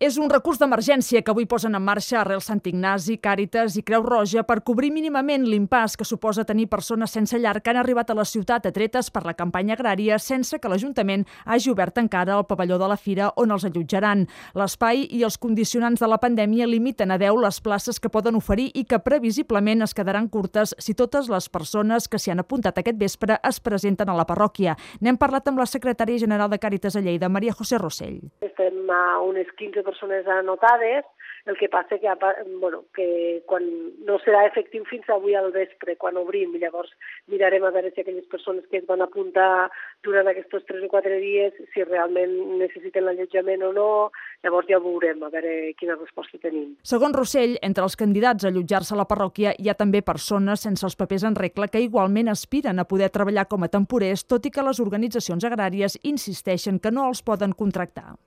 És un recurs d'emergència que avui posen en marxa Arrel Sant Ignasi, Càritas i Creu Roja per cobrir mínimament l'impàs que suposa tenir persones sense llar que han arribat a la ciutat atretes per la campanya agrària sense que l'Ajuntament hagi obert encara el pavelló de la fira on els allotjaran. L'espai i els condicionants de la pandèmia limiten a 10 les places que poden oferir i que previsiblement es quedaran curtes si totes les persones que s'hi han apuntat aquest vespre es presenten a la parròquia. N'hem parlat amb la secretària general de Càritas a Lleida, Maria José Rossell. Estem a unes 15 persones anotades, el que passa que quan no serà efectiu fins avui al vespre, quan obrim, i llavors mirarem a veure si aquelles persones que es van apuntar durant aquests 3 o 4 dies, si realment necessiten l'allotjament o no, llavors ja ho veurem, a veure quina resposta tenim. Segons Rossell, entre els candidats a allotjar-se a la parròquia hi ha també persones sense els papers en regla que igualment aspiren a poder treballar com a temporers, tot i que les organitzacions agràries insisteixen que no els poden contractar.